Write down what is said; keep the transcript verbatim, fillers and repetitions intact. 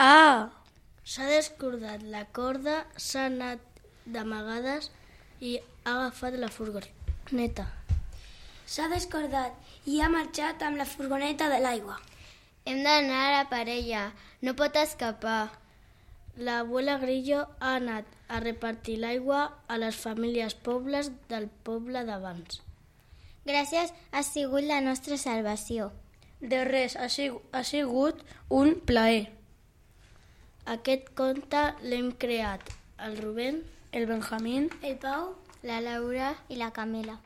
Ah! S'ha descordat la corda, s'ha anat d'amagades i ha agafat la furgoneta. S'ha descordat i ha marxat amb la furgoneta de l'aigua. Hem d'anar a per ella, no pot escapar. L'abuela Grillo ha anat a repartir l'aigua a les famílies pobres del poble d'abans. Gràcies, ha sigut la nostra salvació. De res, ha sigut, ha sigut un plaer. Aquest conte l'hem creat el Rubén, el Benjamín, el Pau, la Laura i la Camila.